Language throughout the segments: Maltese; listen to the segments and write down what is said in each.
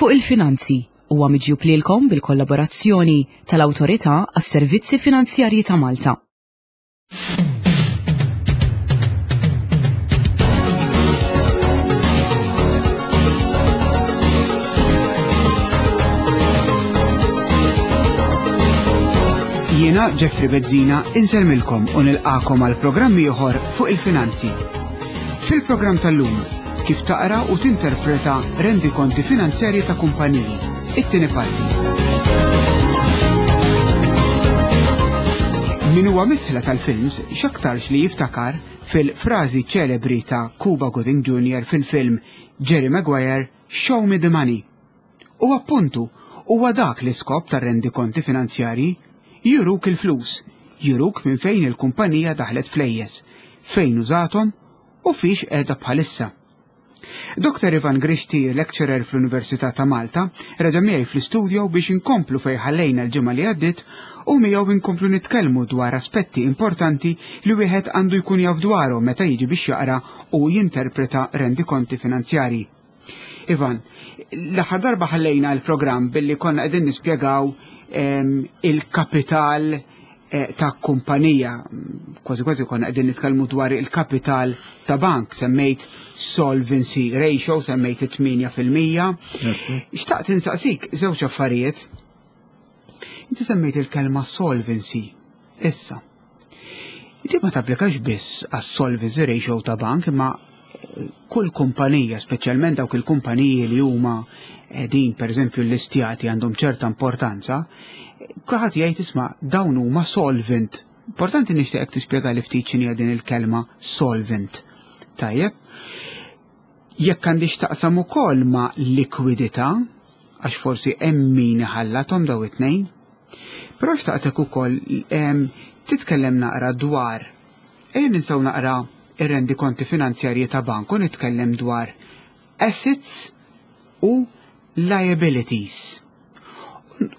Fuq il-Finanzi huwa miġjub lilkom bil-kollaborazzjoni tal-Awtorità għas-Servizzi Finanzjarji ta' Malta. Jiena Jeffrey Bezzina insermilkom u nilqakom għal programm ieħor fuq il-finanzi. Fil-programm tal-lum, kif taqra u tinterpreta rendikonti finanzjarji ta' kumpaniji. It-tieni parti. Min huwa mitħla tal-films x'aktarx li jiftakar fil-frażi ċelebri ta' Cuba Gooding Jr. fil-film Jerry Maguire Show Me the Money. U appuntu, huwa dak l-iskop tar-rendikonti finanzjarji, juruk il-flus, juruk minn fejn il-kumpanija daħlet flejjes, fejn użathom u fiex qiegħda bħalissa. Dr. Ivan Grixti, lecturer fl-Università ta' Malta, reġa' miegħi fl-istudio biex inkomplu fejn ħallejna l-ġimgħa li għaddiet u miegħu inkomplu nitkellmu dwar aspetti importanti li wieħed għandu jkun jaf dwarhom meta jiġi biex jaqra u jinterpreta rendikonti finanzjarji. Ivan, l-aħħar darba ħallejna l-programm billi konna qegħdin nispjegaw ehm, il-kapital eh, ta' kumpanija, kważi kważi konna qegħdin nitkellmu dwar il-kapital ta' bank, semmejt solvency ratio, semmejt 8%. Xtaqt insaqsik żewġ affarijiet. Inti semmejt il-kelma solvency. Issa, Di ma tapplikax biss għas-solvency ratio ta' bank imma eh, kull kumpanija, speċjalment dawk il-kumpaniji li huma din pereżempju l-istjati għandhom ċerta importanza, kulħadd jgħid isma' dawn huma solvent. Importanti nixtieqek tispjega li ftit x'inhi din il-kelma solvent. Tajjeb. Jekk għandix taqsam ukoll ma' likwidità, għax forsi hemm min iħallathom daw it-tnejn. Però xtaqtek ukoll titkellem naqra dwar ejja ninsew naqra ir-rendikonti finanzjarji ta' bank u nitkellem dwar assets u liabilities.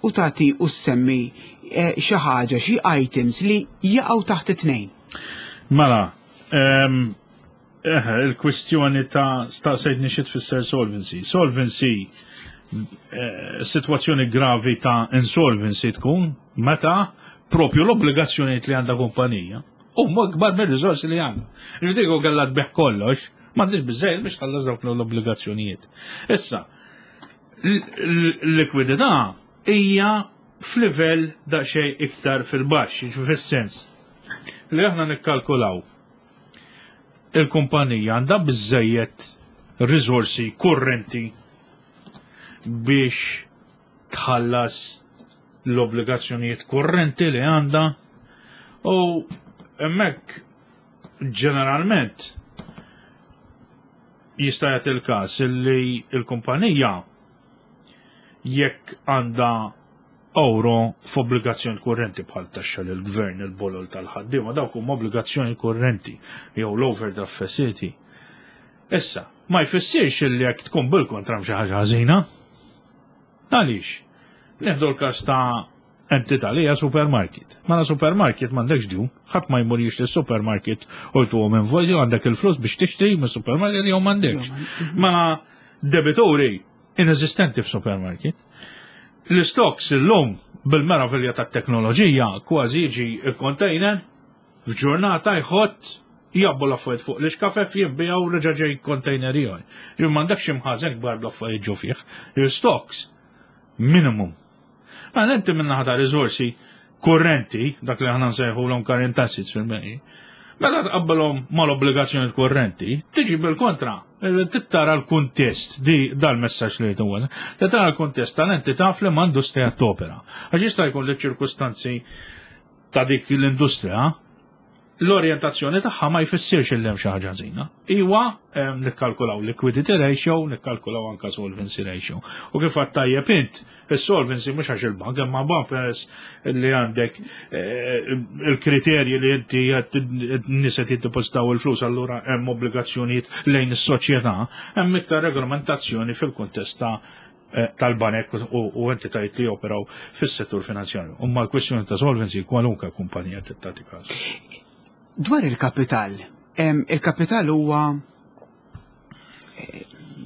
U tagħti u semmi eh, xi ħaġa, xi items li jaqgħu taħt it-tnejn. Mela, Eħe, il-kwistjoni ta' staqsejtni xi tfisser solvency. Solvency, eh, situazzjoni gravi ta' insolvency tkun meta propju l-obbligazzjonijiet li għandha kumpanija huma kbar mir-riżorsi li għandha. Ġifieri kellha tbeħ kollox, m'għandix biżejjed biex tħallas dawk l-obbligazzjonijiet. Issa, l-likwidità hija f'livell daqsxejn iktar fil-baxx, fis-sens li aħna nikkalkulaw il-kumpanija għandha biżżejjed riżorsi kurrenti biex tħallas l-obbligazzjonijiet kurrenti li għandha u hemmhekk ġeneralment jista' jagħti l-każ li l-kumpanija jekk għandha Ewro f'obbligazzjoni kurrenti bħal taxxa lil gvern il-bolol tal-ħaddiema dawk huma obbligazzjoni kurrenti jew l-overdraft facility. Issa, ma jfissirx li jekk tkun bil-kontra xi ħaġa ħażina. Għaliex? Nieħdu l-każ ta' entità li hija supermarket. Mela supermarket m'għandekx djun, ħadd ma jmur jixtri supermarket u jtuhom invoice jew għandek il-flus biex tixtri minn supermarket jew m'għandekx. Mela debituri ineżistenti f'supermarket. L-stocks illum bil-meravilja tat-teknoloġija kważi jiġi il-container f'ġurnata jħott jabbu l-affarijiet fuq l-iskafef jinbijaw reġa' ġej container ieħor. Ġifieri m'għandekx imħażen kbar bl-affarijiet ġo fih. Il-stocks minimum. Mela inti minn naħa ta' riżorsi kurrenti, dak li aħna nsejħulhom current assets fil-bejn, meta tqabbilhom mal-obbligazzjoni kurrenti, tiġi bil-kontra, tittara l-kuntest, di dal-messaġġ li jtu tittara l-kuntest tal-entità fl industrija topera. Għax jista' jkun li ċirkustanzi ta' dik l-industrija l-orjentazzjoni tagħha ma jfissirx il hemm xi ħaġa ħażina. Iwa nikkalkulaw liquidity ratio, nikkalkulaw anka solvency ratio. U kif għad tajjeb int, is-solvency mhux għax il-bank, imma bank peress li għandek eh, il-kriterji li inti nies qed jiddepożitaw il-flus allura hemm obbligazzjonijiet lejn is-soċjetà, hemm iktar regolamentazzjoni fil-kuntest ta' Eh, tal-banek u entitajiet li joperaw fis-settur finanzjarju. Umma l-kwestjoni ta' solvency kwalunkwe kumpanija tagħti każ. Dwar il-kapital, il-kapital huwa eh,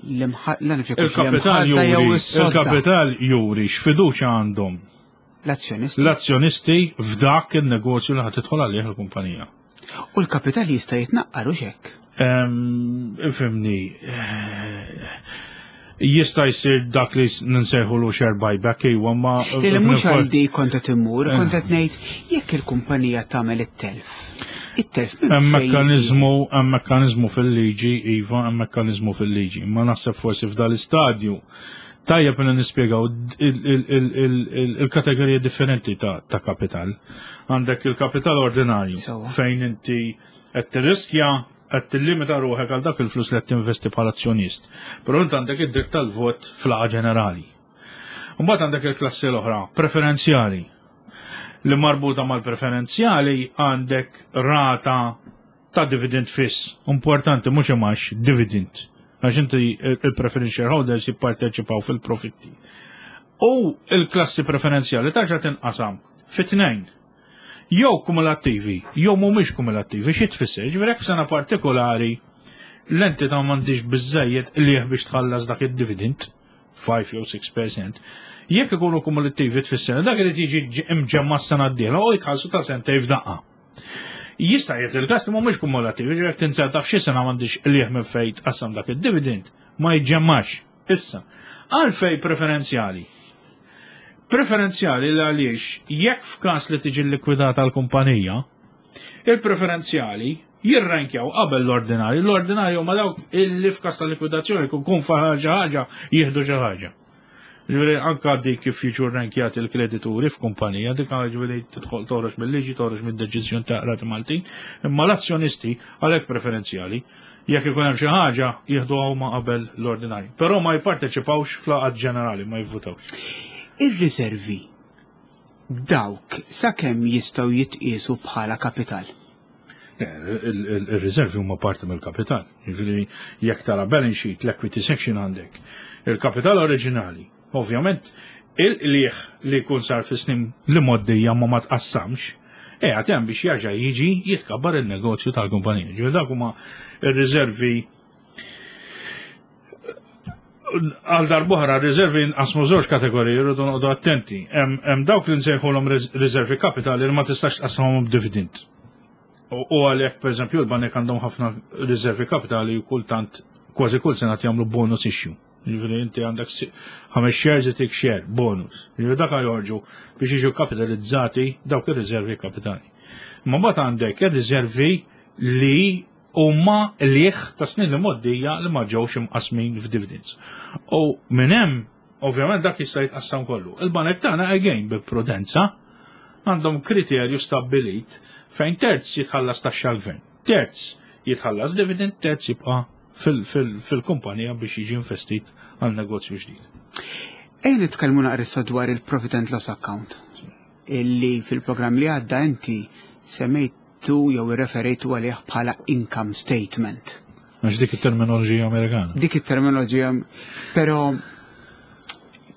Il-kapital juri, il-kapital juri x'fiduċja għandhom l-azzjonisti. L-azzjonisti f'dak il-negozju li ħad tidħol għalih il-kumpanija. U l-kapital jista' jitnaqqar u xek? Ifhimni, eh, jista' jsir dak li ninsejħu lu share buyback iwa ma. Li mhux għal di kont qed immur, eh. kont qed ngħid jekk il-kumpanija tagħmel it-telf. It-telf Hemm mekkaniżmu, hemm mekkaniżmu fil-liġi, iva, hemm mekkaniżmu fil-liġi. Ma naħseb forsi f'dal-istadju tajjeb li nispjegaw il-kategoriji differenti ta' kapital. Għandek il-kapital ordinarju fejn inti qed tirriskja qed tillimita ruħek għal dak il-flus li qed tinvesti bħala azzjonist. Però int għandek id-dritt tal-vot fl-laqgħa ġenerali. Mbagħad għandek il-klassi l-oħra, preferenzjali. Li marbuta mal-preferenzjali għandek rata ta' dividend fiss. Importanti mhux imax dividend. Għax inti il-preference shareholders jipparteċipaw fil-profitti. U il-klassi preferenzjali tarġa' tinqasam fit-tnejn. Jew kumulattivi, jew mhumiex kumulattivi, xi tfisser? Ġifieri jekk f'sena partikolari l-entità m'għandix biżejjed qligħ biex tħallas dak id-dividend, 5 jew 6%, jekk ikunu kumulattivi tfisser dak irid jiġi imġemma s-sena d-dieħla u jitħallsu ta' sentej f'daqqa. Jista' jgħid il-każ li mhumiex kumulattivi, ġifieri jekk tinzerta f'xi sena m'għandix qligħ minn fejn tqassam dak id-dividend, ma jiġġemmax. Issa, għalfej preferenzjali? Preferenzjali li għaliex jekk f'każ li tiġi likwidata l-kumpanija, il-preferenzjali jirrankjaw qabel l-ordinarju. L-ordinarju huma dawk illi f'każ ta' likwidazzjoni kun ħaġa ħaġa jieħdu xi ħaġa. Ġifieri anka dik kif jiġu rrankjati l-kredituri f'kumpanija, dik ġifieri tidħol toħroġ mill-liġi, toħroġ mid-deċiżjoni ta' qrati Maltin, imma l-azzjonisti għalhekk preferenzjali jekk ikun hemm xi ħaġa jieħdu huma qabel l-ordinarju. Però ma jipparteċipawx fl-laqgħat ġenerali, ma jivvutawx. Ir-riservi dawk sakemm jistgħu jitqiesu bħala kapital? Il-riservi huma parti mill-kapital. Jiġifieri jekk tara balance sheet, l-equity section għandek. Il-kapital oriġinali, ovvjament, il-qligħ li jkun sar fi snin li moddija ma ma tqassamx, qiegħed hemm biex jerġa' jiġi jitkabbar il-negozju tal-kumpanija. Ġifieri dak huma ir-riservi għal darbohra riservi nqasmu żewġ kategoriji rridu noqogħdu attenti. Hemm dawk li nsejħulhom riservi kapitali li ma tistax tqassamhom b'dividend. U għalhekk pereżempju l-banek għandhom ħafna riservi kapitali u kultant kważi kull sena jagħmlu bonus issue. Jiġifieri inti għandek ħames shares itik share bonus. Jiġifieri dak joħorġu biex jiġu kapitalizzati dawk ir-riservi kapitali. Imma mbagħad għandek ir-riservi li huma qligħ ta' snin li mgħoddija li ma ġewx imqasmin f'dividends. U minn hemm, ovvjament dak jista' jitqassam kollu. Il-banek tagħna again bi prudenza għandhom kriterju stabbilit fejn terz jitħallas taxxa l-gvern, terz jitħallas dividend, terz jibqa' fil-kumpanija biex jiġi investit għal negozju ġdid. Ejja nitkellmu naqra issa dwar il-profit and loss account illi fil-programm li għadda inti semmejt tu jew irreferejtu għalih bħala income statement. Għax dik it-terminoloġija Amerikana. Dik it-terminoloġija, pero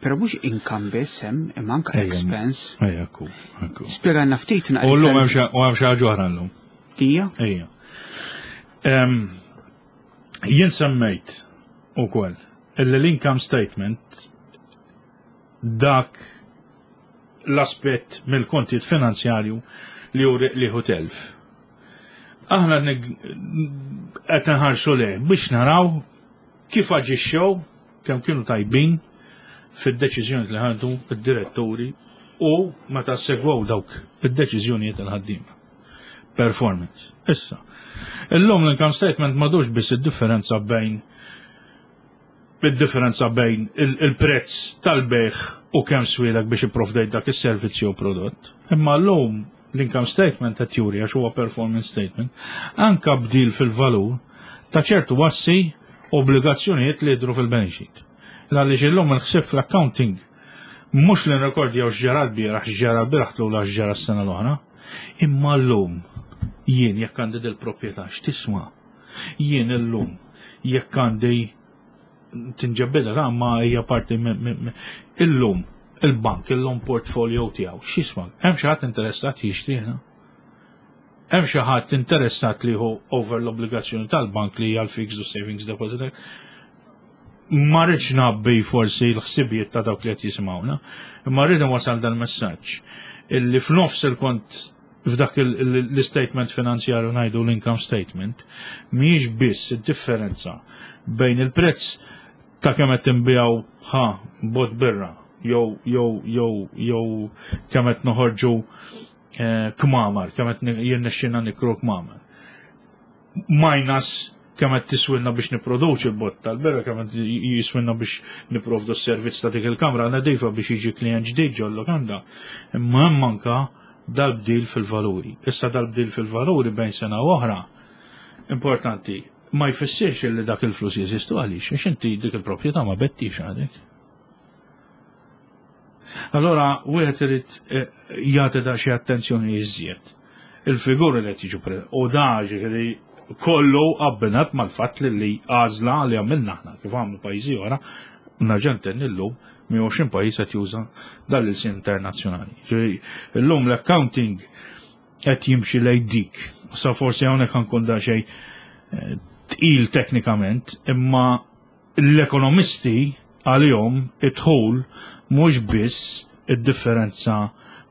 pero mhux income biss hemm imma anke expense. Ejja, ekku, ekku. Spjegana ftit naqra. U llum hemm xi ħaġa oħra llum. Hija? Ejja. Jien semmejt ukoll illi l-income statement dak l-aspett mill-kontijiet finanzjarju li juri qligħ u telf. Aħna qed nħarsu lejh biex naraw kif aġixxew kemm kienu tajbin fid-deċiżjoni li ħadu id-diretturi u meta segwew dawk id-deċiżjonijiet il-ħaddiema. Performance. Issa, illum l-income statement madux biss id-differenza bejn id-differenza bejn il-prezz tal-bejgħ u kemm swielek biex ipprovdejt dak is-servizz jew prodott. Imma llum l-income statement qed juri għax huwa performance statement, anka bdil fil-valur ta' ċertu assi obbligazzjonijiet li jidhru fil-balance sheet. Għaliex illum il-ħsieb fl-accounting mhux li nrekordjaw x'ġara l-bieraħ, x'ġara l-bieraħ tlula x'ġara s-sena l-oħra, imma llum jien jekk għandi dil-proprjetà x'tiswa? Jien illum jekk għandi tinġebbidha ta' ma hija parti illum il-bank illum portfolio tiegħu x'jisma' hemm xi ħadd interessat jixtrihna? Hemm xi ħadd interessat li hu over l-obbligazzjoni tal-bank li hija l-fixed u savings deposit? Ma rridx nabbi forsi l-ħsibijiet ta' dawk li qed jisimgħuna, imma rrid wasal dal-messaġġ illi f'nofs il-kont f'dak l-statement finanzjarju ngħidu l-income statement mhijiex biss id-differenza bejn il-prezz ta' kemm qed tinbiegħu ħa bot birra jew jew jew jew kemm qed noħorġu eh, kmamar, kemm qed jirnexxinna nikru kmamar. Minus kemm qed tiswilna biex nipproduċi l-bot tal-berra, kemm qed jiswilna biex niprovdu s-servizz ta' dik il-kamra nadifa biex jiġi klient ġdid ġol-lukanda. Imma hemm anka dal-bdil fil-valuri. Issa dal-bdil fil-valuri bejn sena u oħra importanti ma jfissirx li dak il-flus jeżistu għaliex, għax inti dik il-proprjetà ma bettix għadek. Allora, wieħed irid eh, jagħti da xi attenzjoni iżjed. Il-figuri li qed jiġu u da ġifieri kollu abbinat mal-fatt li li għażla li għamilna aħna kif għamlu pajjiżi oħra, nerġa' ntenni llum 120 pajjiż qed juża dan l-ilsien internazzjonali. Ġifieri llum l-accounting qed jimxi lejn dik. Sa forsi hawnhekk ħankun da xejn eh, tqil teknikament, imma L-ekonomisti għalihom id-dħul mhux biss id-differenza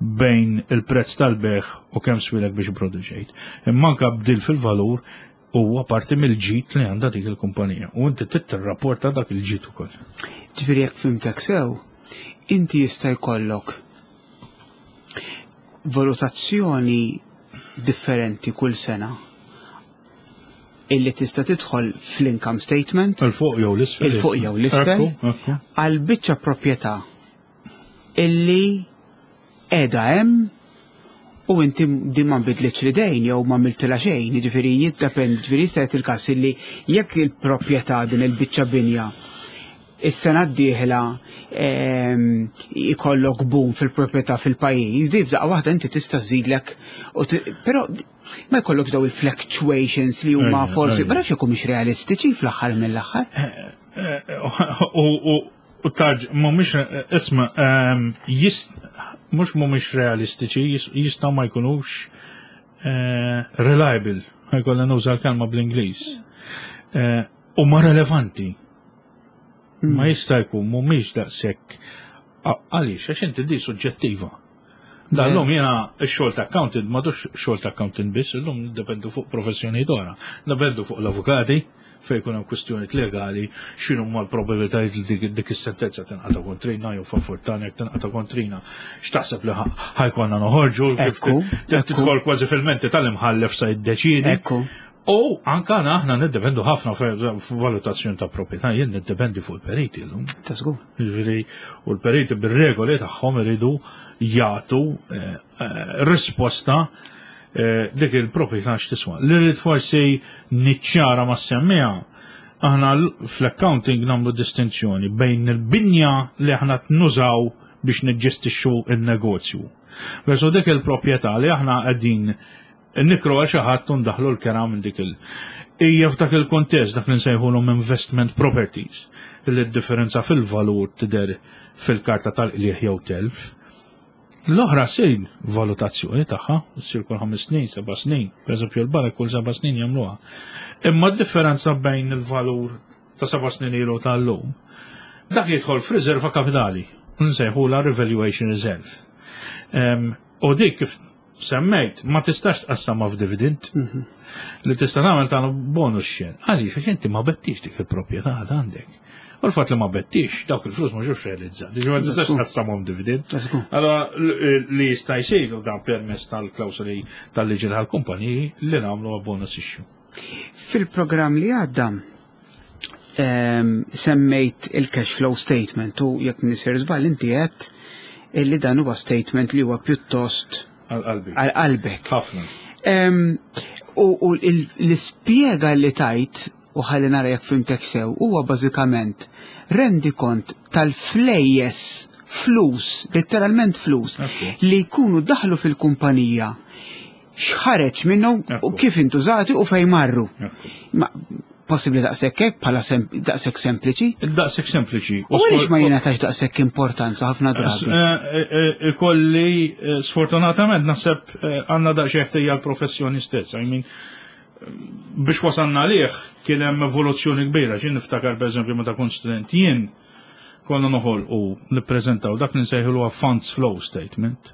bejn il-prezz tal-bejgħ u kemm swielek biex ipproduċejt, imma anke bdil fil-valur huwa parti mill-ġid li għandha dik il-kumpanija u inti trid tirrapporta dak il-ġid ukoll. Ġifieri jekk fhimtek sew, inti jista' jkollok valutazzjoni differenti kull sena illi tista' tidħol fl-income statement. Il-fuq jew l-isfel. Il-fuq jew l-isfel. Għal biċċa proprjetà illi qiegħda hemm u inti din ma nbidlitx l-idejn jew ma miltilha xejn, jiġifieri jiddependi, ġifieri jista' jagħti il-każ illi jekk il-proprjetà din il-biċċa binja is-sena d-dieħla ehm, ikollok boom fil-proprjetà fil-pajjiż, di f'daqqa waħda inti tista' żżidlek, però ma jkollokx daw il-fluctuations li huma forsi, ma nafx jekk mhux realistiċi fl-aħħar mill-aħħar. Eh, eh, u tarġ, mhumiex isma, ehm, mhux mhumiex realistiċi, jistgħu ma jkunux eh, reliable, ħajkollha nuża l-kelma bl-Ingliż. U ma relevanti. Ma jista' jkun mhumiex daqshekk għaliex għax inti di suġġettiva. Dal-lum jena x-xogħol ta' accountant m'għadux xogħol ta' accountant biss, illum niddependu fuq professjonijiet oħra. Niddependu fuq l-avukati fejn jkun hemm kwistjonijiet legali, x'inhu huma l-probabilitajiet li dik is-sentenza tinqata' kontrina jew favur tagħna jekk tinqata' kontrina. X'taħseb li ħajkonna noħorġu kif tidħol kważi fil-menti tal-imħallef sa jiddeċiedi. U anka aħna niddependu ħafna f'valutazzjoni ta' proprjetà, jien niddependi fuq il-periti llum. Ta' żgur. Jiġifieri, u l-periti bir-regoli tagħhom iridu jagħtu eh, eh, risposta eh, dik il-proprjetà x'tiswa. Li rrid forsi niċċara ma' semmija, aħna fl-accounting nagħmlu distinzjoni bejn il-binja li aħna nużaw biex niġġestixxu il-negozju. Versu dik il-proprjetà li aħna qegħdin Nikru għal xi ħadd u ndaħħlu l-kera minn dik il. Hija f'dak il-kuntest dak li nsejħulhom investment properties li d-differenza fil-valur tidher fil-karta tal-qligħ jew telf. L-oħra ssir valutazzjoni tagħha, ssir kull ħames snin, seba' snin, pereżempju l-banek kull seba' snin jagħmluha. Imma d-differenza bejn il-valur ta' seba' snin ilu tal-lum, dak jidħol f'riserva kapitali, nsejħulha revaluation reserve. U dik kif semmejt, ma tistax tqassamha f'dividend. Mhm. Li tista' tagħmel tagħmel bonus share. Għaliex għax inti ma bettix dik il-proprjetà għad għandek. U l-fatt li ma bettix, dawk il-flus ma ġewx realizzati, ġifieri ma tistax tqassamhom dividend. Allora li jista' jsir u dan permess tal-klawsoli tal-liġi tal-kumpaniji li nagħmlu bonus issue. Fil-programm li għadda ehm, semmejt il-cash flow statement u jekk nisir żball inti għedt illi dan huwa statement li huwa pjuttost għal qalbek. Ħafna. Ehm, u l-ispjega li tajt u ħalli nara jekk fimtek sew huwa bażikament rendi kont tal-flejjes flus, letteralment flus, li jkunu daħlu fil-kumpanija x'ħareġ minnhom u kif intużati u fejn marru. Ma possibbli daqshekk hekk bħala daqshekk sempliċi? Daqshekk sempliċi. U għaliex ma jingħatax daqshekk importanza ħafna drabi? Eh, eh, eh, ikolli sfortunatament naħseb għandna daqsxejn ħtija l-professjoni stess. I mean, Biex wasalna għalih kien hemm evoluzzjoni kbira, xi niftakar pereżempju meta kont student jien konna noħolqu nippreżentaw dak li nsejħulu funds flow statement.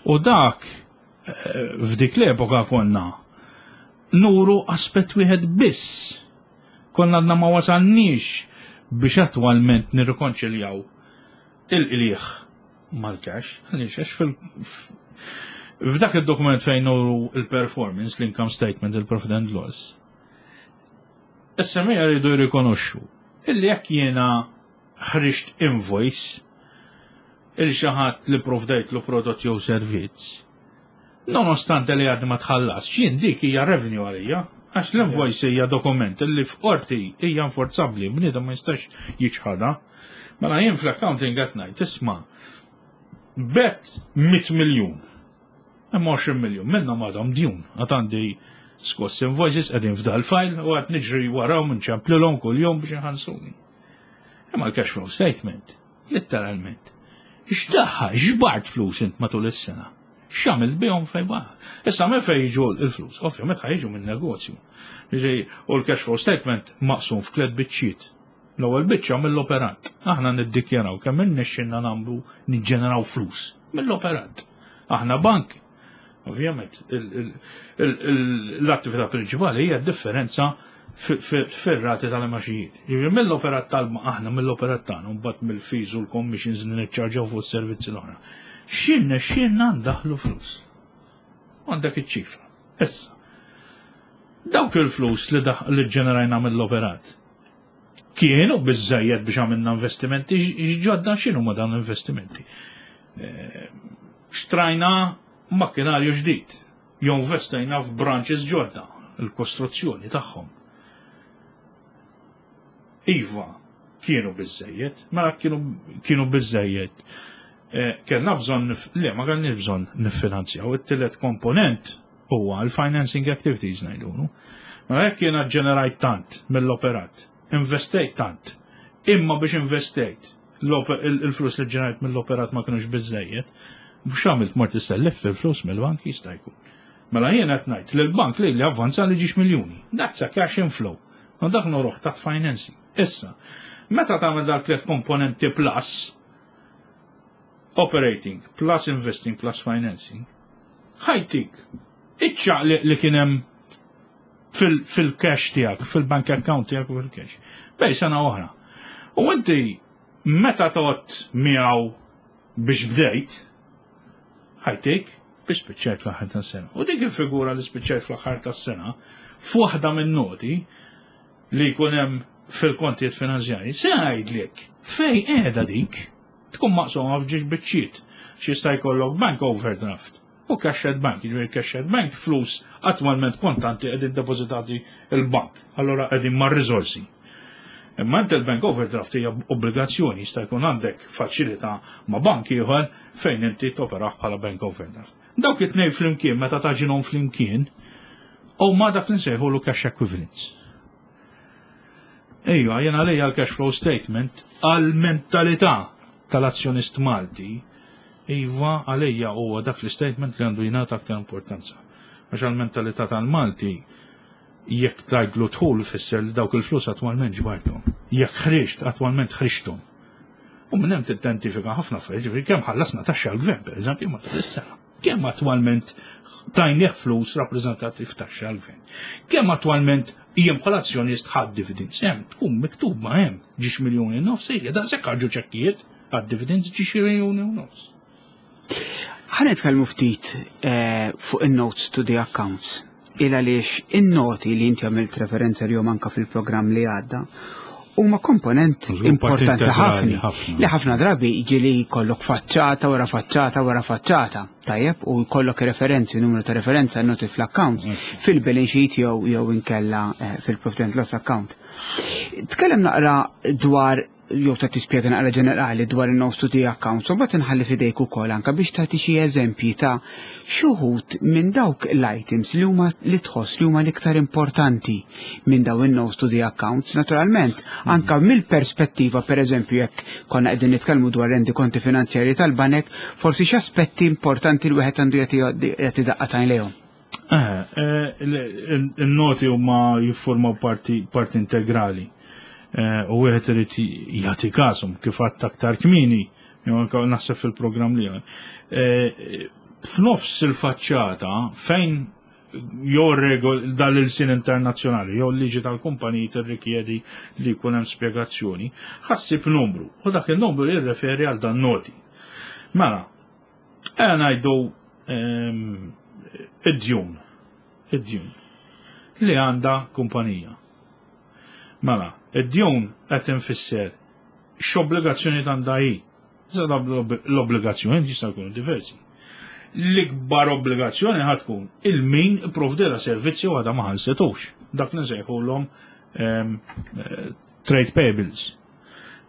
U dak eh, f'dik l-epoka konna nuru aspett wieħed biss. Konna għadna ma wasalniex biex attwalment nirrikonċiljaw il-qliegħ mal-cash, għaliex għax fil f'dak il-dokument fejn nuru il-performance, l-income statement, il-profit and loss, is-semija jridu jirrikonoxxu illi jekk jiena ħriġt invoice il xi ħadd li provdejtlu prodott jew servizz, nonostante li għadni ma tħallas, jien dik hija revenue għalija, għax l-invoice hija dokument li f'qorti hija enforzabbli, bniedem ma jistax jiċħadha. Mela jien fl-accounting qed ngħid isma' bet 100 miljun. Imma 20 miljun minnhom għadhom djun, għad għandi skoss invoices qegħdin f'dal file u għad niġri warahom nċemplilhom kuljum biex iħansuni. Imma l-cash flow statement, letteralment, x'daħħa, x'bart flus int matul is-sena? X'għamilt bihom fejn baqa'? Issa minn fejn jiġu l-flus? Ovvjament ħa jiġu minn negozju. U l-cash flow statement maqsum f'tliet biċċiet. L-ewwel biċċa mill-operat. Aħna niddikjaraw kemm irnexxilna nagħmlu niġġeneraw flus mill-operat. Aħna bank, ovvjament, l-attività prinċipali hija d-differenza fir-rati tal-imaxijiet. Jiġifieri mill-operat tal aħna mill-operat tagħna mbagħad mill-fees u l-commissions li niċċarġaw fuq is-servizzi l-oħra. X'irnexxielna ndaħħlu flus? Għandek iċ-ċifra. Issa, dawk il-flus li ġġenerajna mill-operat, Kienu biżżejjed biex għamilna investimenti ġodda, x'inhu ma dawn l-investimenti? Eh, xtrajna makkinarju ġdid, jew investejna f'branches ġodda, il-kostruzzjoni tagħhom. Iva, kienu biżżejjed, mela kienu, kienu biżżejjed. Eh, kellna bżonn, le, ma kellniex bżonn niffinanzjaw. It-tielet komponent huwa l-financing activities ngħidulu. Mela jekk jiena ġenerajt tant mill-operat, investejt tant, imma biex investejt il-flus li ġenerajt mill-operat ma kinux biżejjed, mhux għamilt mort issellef fil-flus mill-bank jista' jkun. Mela jien qed ngħid li l-bank li li avvanza li ġiex miljuni. That's a cash inflow. U dak noruħ taħt financing. Issa, meta tagħmel dak tliet komponenti plus, operating plus investing plus financing, ħajtik iċ-ċaqliq li kien hemm fil-cash tiegħek, fil-bank account tiegħek u fil-cash. Bej sena oħra. U inti meta tot miegħu biex bdejt, ħajtik biex spiċċajt fl-aħħar tas-sena. U dik il-figura li spiċċajt fl-aħħar tas-sena, f'waħda minn noti li jkun hemm fil-kontijiet finanzjarji, se ngħidlek fej qiegħda dik tkun maqsuma f'ġiex biċċiet. X'jista' jkollok bank overdraft u cash at bank, jiġifieri cash at bank flus attwalment kontanti qegħdin depożitati il-bank, allura qegħdin mar-riżorsi. Imma inti l-bank overdraft hija obbligazzjoni jista' jkun għandek faċilità ma' bank ieħor fejn inti toperaħ bħala bank overdraft. Dawk it-tnejn flimkien meta taġinhom flimkien huma dak li nsejħulu cash equivalents. Ejja, jien għalija l-cash flow statement għal-mentalità tal-azzjonist Malti, iva għalija huwa dak l-statement li għandu jingħata aktar importanza. Għax għal-mentalità tal-Malti jekk tgħidlu dħul fisser li dawk il-flus attwalment ġbarthom. Jekk ħriġt attwalment ħriġthom. U minn hemm tidentifika ħafna affarijiet, ġifieri kemm ħallasna taxxa l-gvern, pereżempju, matul is-sena. Kemm attwalment tajnieh flus rappreżentati f'taxxa għall-gvern. Kemm attwalment jien bħala azzjonist ħadd dividends hemm tkun miktub ma hemm ġiex miljuni nofs hija daqshekk ħarġu ċekkijiet għad dividends ġiex miljuni u nofs. Ħa nitkellmu ftit eh, fuq in-notes to the accounts. Il għaliex in-noti li inti għamilt referenza li anka fil-programm li għadda huma komponent importanti ħafna li ħafna drabi ġili jkollok faċċata wara faċċata wara faċċata tajjeb u jkollok referenzi numru ta' referenza noti fl-account mm. fil-balance sheet jew jew inkella eh, fil-profit and loss account. Tkellem naqra dwar jew ta' tispjega naqra ġenerali dwar in-notes to the accounts, u mbagħad inħalli f'idejk ukoll anke biex tagħti xi eżempji ta' xi wħud minn dawk l-items li huma li tħoss li huma l-iktar importanti minn dawn in-notes to the accounts. Naturalment, anke mill-perspettiva pereżempju jekk konna qegħdin nitkellmu dwar rendikonti finanzjarji tal-banek, forsi x'aspetti importanti l wieħed għandu jagħti daqqa t'għajn lejhom. Eh, eh, il-noti huma jiffurmaw parti, parti integrali. Eh, u wieħed irid jagħti każhom kif għadt aktar kmieni, jew anke naħseb fil-programm li F'nofs il-faċċata fejn jew regol dal-ilsien internazzjonali jew liġi tal-kumpaniji tirrikjedi li jkun hemm spjegazzjoni, ħassib numru u dak il-numru jirreferi għal dan noti. Mela, Ejja ngħidu ehm, id-djun, id-djun li għandha kumpanija. Mela, id-djun qed infisser x'obbligazzjoni għandha hi. L-obbligazzjoni jista' jkunu diversi. L-ikbar obbligazzjoni ħad tkun il-min provdera servizzi u għadha ma ħallsetux. Dak li nsejħulhom ehm, eh, trade payables.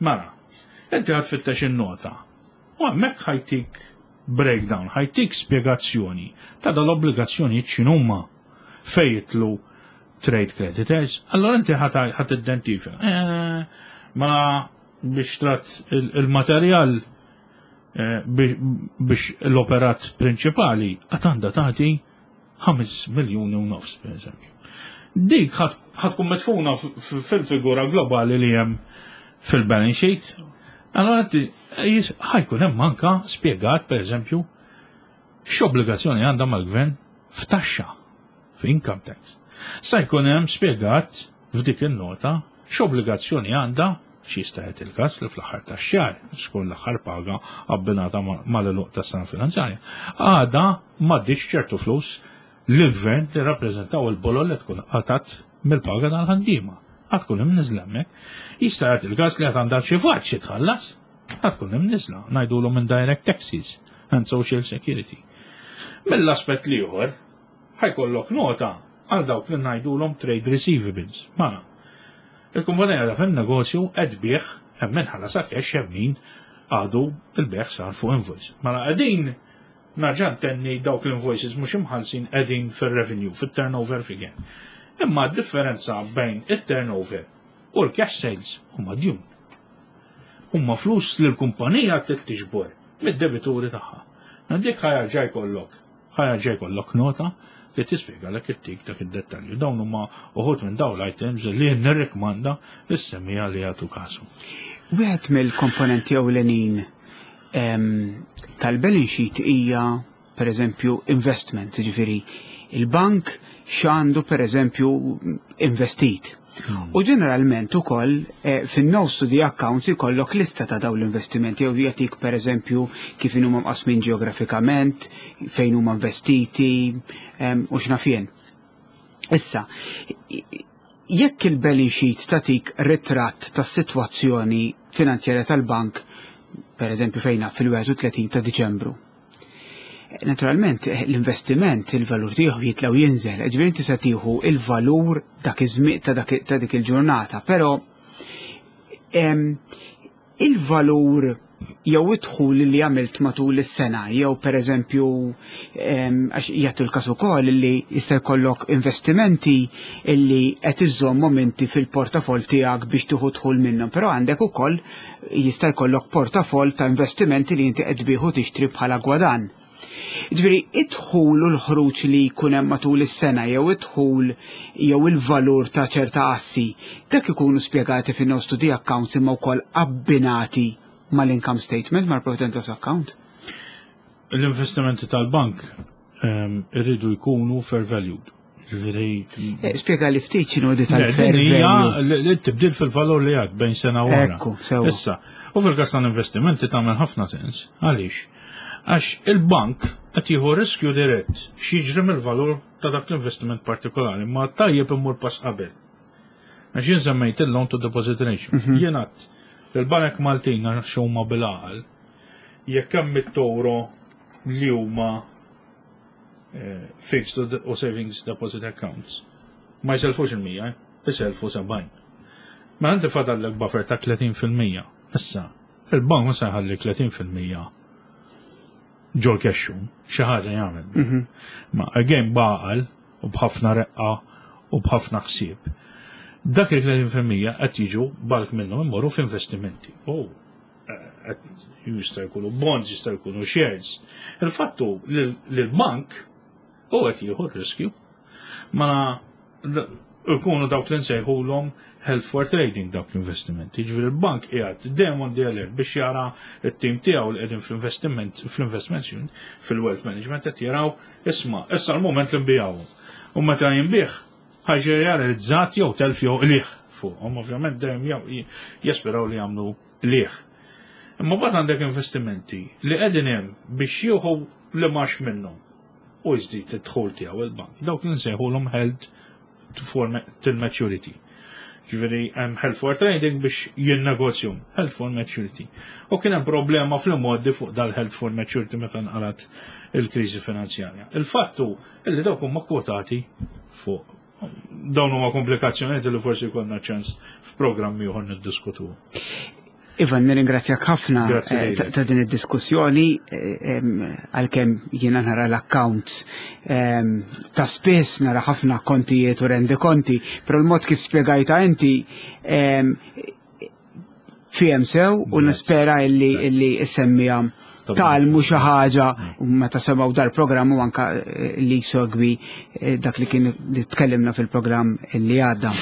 Mela, inti ħad fittex in-nota U hemmhekk ħa jtik breakdown, ħa jtik spjegazzjoni ta' dal-obbligazzjonijiet x'inhuma fejn jidħlu trade creditors. Allora inti ħa tidentifika. Eh, mela biex trat il-materjal eh, biex l-operat prinċipali għad għandha tagħti 5 miljuni u nofs, per eżempju. Dik ħatkun mitfuna fil-figura globali li hemm fil-balance sheet. Allora ħajkun hemm anka spjegat, per eżempju, x'obbligazzjoni għandha mal-gvern f'taxxa, f'income tax. Sa jkun hemm spjegat f'dik in-nota x'obbligazzjoni għandha x'jista' jagħti il-każ li fl-aħħar tax-xahar, xkun l-aħħar paga abbinata mal-għeluq tas-sena finanzjarja, għadha m'għadditx ċertu flus lill-gvern li rappreżentaw il-bolol li tkun qatat mill-paga tal-ħaddiema. Għad tkun imniżla hemmhekk. Jista' jagħti il-każ li għad għandha xi fatt xi tħallas, għad tkun imniżla, ngħidulhom indirect taxes and social security. Mill-aspett l-ieħor, ħajkollok nota għal dawk li ngħidulhom trade receivables. Mela, il-kumpanija ta' fin-negozju qed tbigħ hemm min ħallasha cash hemm min għadu il-bejgħ sar fuq invoice. Mela qegħdin narġa' ntenni dawk l-invoices mhux imħallsin qegħdin fir-revenue, fit-turnover figure. Imma d-differenza bejn it-turnover u l-cash sales huma djun. Huma flus li l-kumpanija trid tiġbor mid-debituri tagħha. Dik ħajarġa' jkollok Ħa jerġa' jkollok nota li tispjegalek ittik dak id-dettalju. Dawn huma uħud minn dawn l-items li jien nirrikmanda lis-semmiegħa li jagħtu kasu. Wieħed mill-komponenti ewlenin ehm, tal-balance sheet hija pereżempju investment, jiġifieri il-bank x'għandu pereżempju investit. U ġeneralment ukoll eh, fin-notes to the accounts ikollok lista ta' dawn l-investimenti jew jagħtik pereżempju kif huma mqasmin ġeografikament, fejn huma investiti u x'naf jien. Issa, jekk il-balance sheet tagħtik ritratt tas-sitwazzjoni finanzjarja tal-bank, pereżempju fejna fil-31 ta' Diċembru, Naturalment, l-investiment, il-valur tiegħu jitla' u jinżel, ġifieri inti se tieħu il-valur dak iż-żmien ta' dik il-ġurnata, però il-valur jew id-dħul li għamilt matul is-sena, jew pereżempju għax jagħtu l-każ ukoll li jista' jkollok investimenti illi qed iżżommhom inti fil-portafoll tiegħek biex tieħu dħul minnhom, però għandek ukoll jista' jkollok portafoll ta' investimenti li inti qed tbigħ u tixtri bħala gwadann. Ġifieri, id-dħul u l-ħruġ li jkun hemm matul is-sena jew id-dħul jew il-valur ta' ċerta assi, dak ikunu spjegati fin-notes to the accounts imma wkoll abbinati mal-income statement, mal-profit and loss account. L-investimenti tal-bank ehm, irridu jkunu fair valued. Ġifieri. Eh, spjega li ftit x'inhu di tal-fair value. Li tibdil fil-valur li għad bejn sena u oħra. Issa, u fil-każ tal-investimenti tagħmel ħafna sens. Għaliex? Għax il-bank qed jieħu riskju dirett x'jiġri mill-valur ta' dak l-investiment partikolari, ma tajjeb immur pass qabel. Għax jien semmejt il-loan to deposit ratio. Mhm. Jien għadt il-banek Maltin għax huma bil-għaqal jekk hemm it-toro li huma eh, fixed u savings deposit accounts. Ma jiselfux il-100, eh? jiselfu 70. Ma inti fadallek buffer ta' 30%. Issa, il-bank ma se jħalli 30% ġol kexxu, xi ħaġa jagħmel. Mhm. Ma again baqal u b'ħafna reqqa u b'ħafna ħsieb. Dak il-30% qed jiġu balk minnhom imorru f'investimenti. Oh, jista' jkunu bonds, jista' jkunu shares. Il-fattu li l-bank U qed jieħu r-riskju. Ma ikunu dawk li nsejħulhom held for trading dawk l-investimenti. Ġifieri l-bank qiegħed dejjem on the alert biex jara t-tim tiegħu li qegħdin fl-investiment fl-investment unit, fil-wealth management qed jaraw isma' issa l-mument li nbijawhom. U meta jinbih ħaġa realizzat jew telf jew qligħ fuqhom, ovvjament dejjem jesperaw li jagħmlu qligħ. Imma mbagħad għandek investimenti li qegħdin hemm biex jieħu li max minnhom u jżid id-dħul tiegħu il-bank. Dawk li nsejħulhom held for till maturity. Ġifieri hemm held for trading biex jinnegozjum, held for maturity. U kien hemm problema fl-imgħoddi fuq dal-held for maturity meta nqalat il-kriżi finanzjarja. Il-fattu illi dawk huma kwotati fuq dawn huma komplikazzjonijiet li forsi jkollna ċans f'programm ieħor niddiskutu. Ivan, nirringrazzjak ħafna eh, ta' din id-diskussjoni eh, għalkemm jiena nara l-accounts ta' spiss nara ħafna kontijiet u rendi konti, però l-mod kif spjegajta inti fihem sew u nispera illi illi semmija talmu xi ħaġa u meta semgħu dal-programm u anka eh, li jsegwi eh, dak li kien li tkellimna fil-programm li għadda.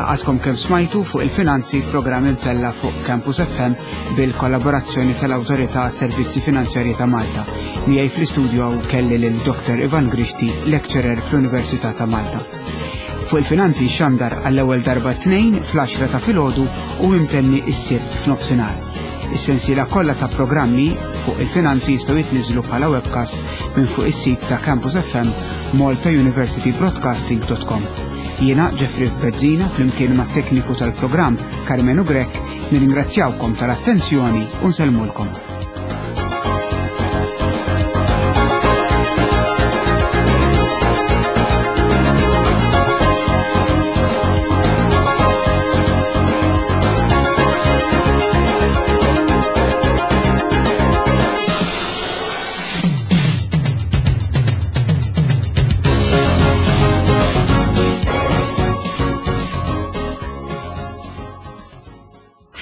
Għadkom kemm smajtu fuq il-finanzi programm imtella fuq Campus FM bil-kollaborazzjoni tal-Awtorità Servizzi Finanzjarji ta' Malta. Miegħi fl-istudju kelli lil Dr. Ivan Grixti, lecturer fl-Università ta' Malta. Fuq il-finanzi xandar għall-ewwel darba t-Tnejn fl-għaxra ta' filgħodu u imtenni s-Sibt f'nofsinhar. Is-sensiela kollha ta' programmi fuq il-finanzi jistgħu jitniżżlu bħala webcast minn fuq is-sit ta' Campus FM maltauniversitybroadcasting.com. Jiena Jeffrey Bezzina flimkien mat-tekniku tal-programm Karmenu Grech nirringrazzjawkom tal-attenzjoni u nsellmulkom.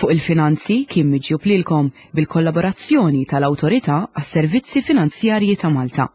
Fuq il-finanzi kien miġjub lilkom bil-kollaborazzjoni tal-Awtorità għas-Servizzi Finanzjarji ta' Malta.